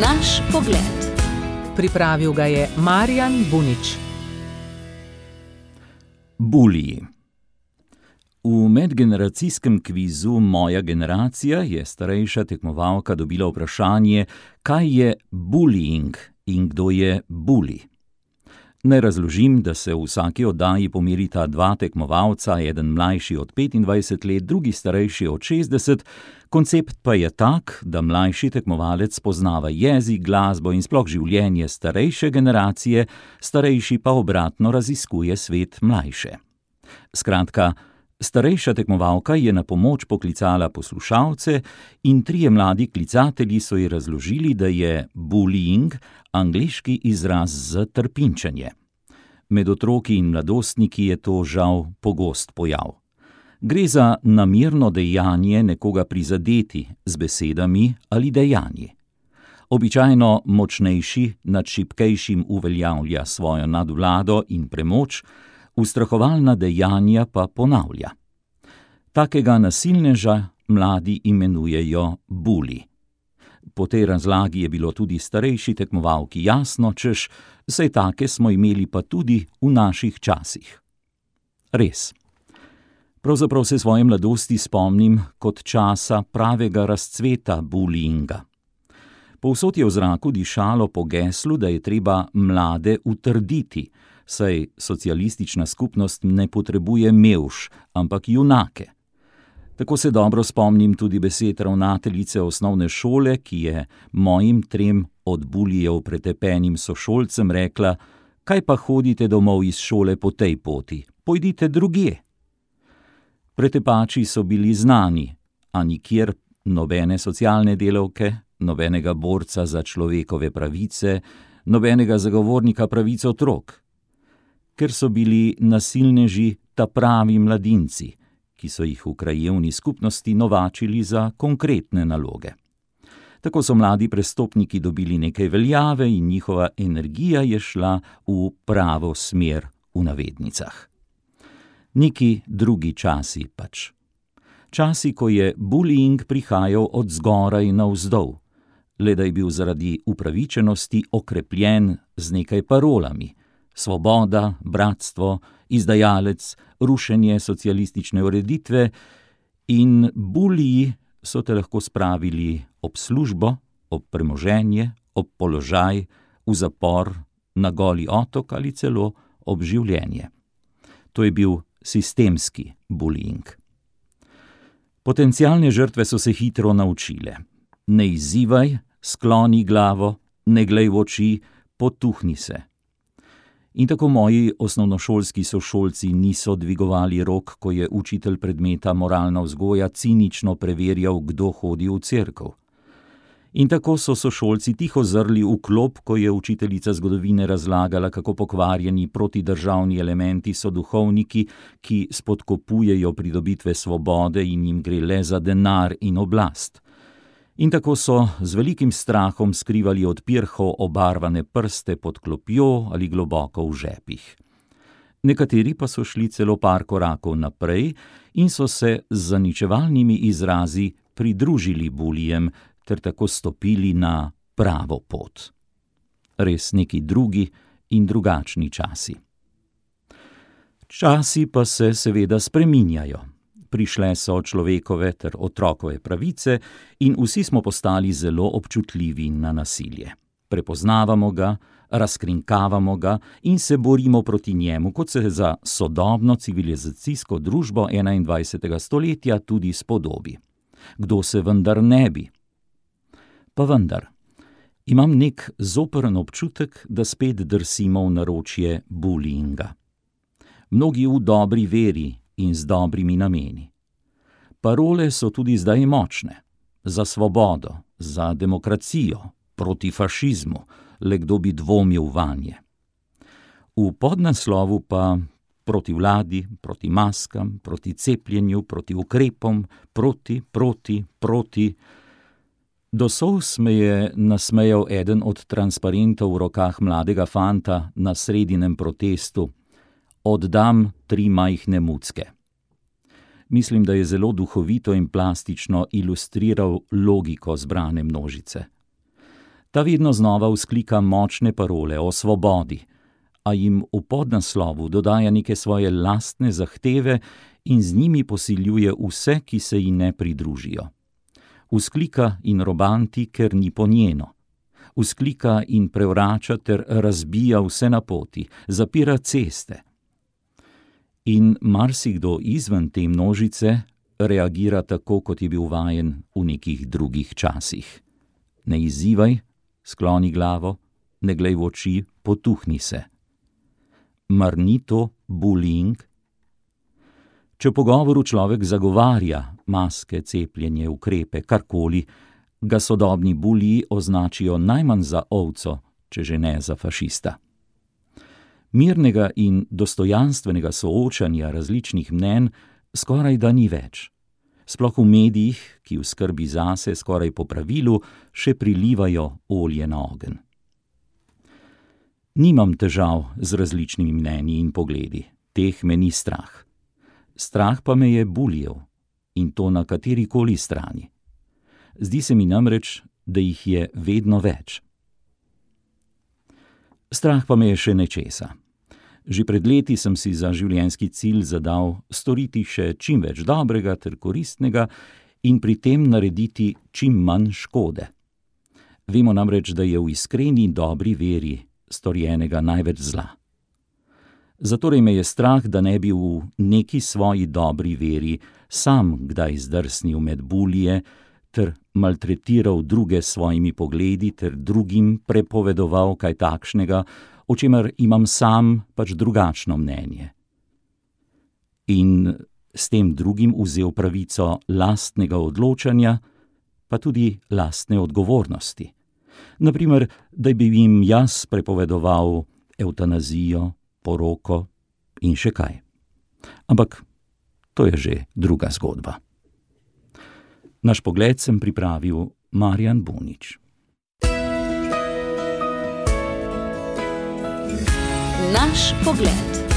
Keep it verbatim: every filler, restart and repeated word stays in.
Naš pogled. Pripravil ga je Marjan Bunič. Buliji. V medgeneracijskem kvizu Moja generacija je starejša tekmovalka dobila vprašanje, kaj je bullying in kdo je bully. Naj razložim, da se v vsaki oddaji pomerita dva tekmovalca, eden mlajši od petindvajset let, drugi starejši od šestdeset. Koncept pa je tak, da mlajši tekmovalec poznava jezik, glasbo in sploh življenje starejše generacije, starejši pa obratno raziskuje svet mlajše. Skratka, starejša tekmovalka je na pomoč poklicala poslušalce in trije mladi klicatelji so ji razložili, da je bullying angleški izraz za trpinčenje. Med otroki in mladostniki je to žal pogost pojav. Gre za namerno dejanje nekoga prizadeti z besedami ali dejanji. Običajno močnejši nad šibkejšim uveljavlja svojo nadvlado in premoč, ustrahovalna dejanja pa ponavlja. Takega nasilneža mladi imenujejo bully. Po tej razlagi je bilo tudi starejši tekmovalki jasno, češ, saj take smo imeli pa tudi v naših časih. Res. Pravzaprav se svoje mladosti spomnim kot časa pravega razcveta bullyinga. Povsod je v zraku dišalo po geslu, da je treba mlade utrditi, saj socialistična skupnost ne potrebuje mevž, ampak junake. Tako se dobro spomnim tudi besed ravnateljice osnovne šole, ki je mojim trem od bulijev pretepenim sošolcem rekla: kaj pa hodite domov iz šole po tej poti, pojdite drugje. Pretepači so bili znani, a nikjer nobene socialne delavke, nobenega borca za človekove pravice, nobenega zagovornika pravic otrok. Ker so bili nasilneži ta pravi mladinci, ki so jih v krajevni skupnosti novačili za konkretne naloge. Tako so mladi prestopniki dobili nekaj veljave in njihova energija je šla v pravo smer v navednicah. Neki drugi časi pač. Časi, ko je bullying prihajal od zgoraj navzdol, le da je bil zaradi upravičenosti okrepljen z nekaj parolami: svoboda, bratstvo, izdajalec, rušenje socialistične ureditve, in buliji so te lahko spravili ob službo, ob premoženje, ob položaj, v zapor, na goli otok ali celo ob življenje. To je bil sistemski bullying. Potencialne žrtve so se hitro naučile. Ne izzivaj, skloni glavo, ne glej v oči, potuhni se. In tako moji osnovnošolski sošolci niso dvigovali rok, ko je učitelj predmeta moralna vzgoja cinično preverjal, kdo hodi v cerkev. In tako so sošolci tiho zrli v klop, ko je učiteljica zgodovine razlagala, kako pokvarjeni protidržavni elementi so duhovniki, ki spodkopujejo pridobitve svobode in jim gre le za denar in oblast. In tako so z velikim strahom skrivali od pirhov obarvane prste pod klopjo ali globoko v žepih. Nekateri pa so šli celo par korakov naprej in so se z zaničevalnimi izrazi pridružili bulijem ter tako stopili na pravo pot. Res neki drugi in drugačni časi. Časi pa se seveda spreminjajo. Prišle so človekove ter otrokove pravice in vsi smo postali zelo občutljivi na nasilje. Prepoznavamo ga, razkrinkavamo ga in se borimo proti njemu, kot se za sodobno civilizacijsko družbo enaindvajsetega stoletja tudi spodobi. Kdo se vendar ne bi? Pa vendar, imam nek zoprn občutek, da spet drsimo v naročje bullyinga. Mnogi v dobri veri in z dobrimi nameni. Parole so tudi zdaj močne. Za svobodo, za demokracijo, proti fašizmu, le kdo bi dvomil vanje. V podnaslovu pa proti vladi, proti maskam, proti cepljenju, proti ukrepom, proti, proti, proti. Do solz me je nasmejal eden od transparentov v rokah mladega fanta na sredinem protestu: oddam tri majhne mucke. Mislim, da je zelo duhovito in plastično ilustriral logiko zbrane množice. Ta vedno znova vzklika močne parole o svobodi, a jim v podnaslovu dodaja neke svoje lastne zahteve in z njimi posiljuje vse, ki se ji ne pridružijo. Vzklika in robanti, ker ni po njeno. Vzklika in prevrača ter razbija vse na poti, zapira ceste. In marsikdo izven te množice reagira tako, kot je bil vajen v nekih drugih časih. Ne izzivaj, skloni glavo, ne glej v oči, potuhni se. Mar ni to bullying? Če v pogovoru človek zagovarja maske, cepljenje, ukrepe, karkoli, ga sodobni buliji označijo najmanj za ovco, če že ne za fašista. Mirnega in dostojanstvenega soočanja različnih mnenj skoraj da ni več. Sploh v medijih, ki v skrbi zase skoraj po pravilu še prilivajo olje na ogenj. Nimam težav z različnimi mnenji in pogledi, teh me ni strah. Strah pa me je bulijev, in to na katerikoli strani. Zdi se mi namreč, da jih je vedno več. Strah pa me je še nečesa. Že pred leti sem si za življenjski cilj zadal storiti še čim več dobrega ter koristnega in pri tem narediti čim manj škode. Vemo namreč, da je v iskreni dobri veri storjenega največ zla. Zatorej me je strah, da ne bi v neki svoji dobri veri sam kdaj zdrsnil med bulije ter maltretiral druge s svojimi pogledi ter drugim prepovedoval kaj takšnega, o čemer imam sam pač drugačno mnenje. In s tem drugim vzel pravico lastnega odločanja, pa tudi lastne odgovornosti. Naprimer, da bi jim jaz prepovedoval evtanazijo, poroko in še kaj. Ampak to je že druga zgodba. Naš pogled sem pripravil Marjan Bunič. Naš pogled.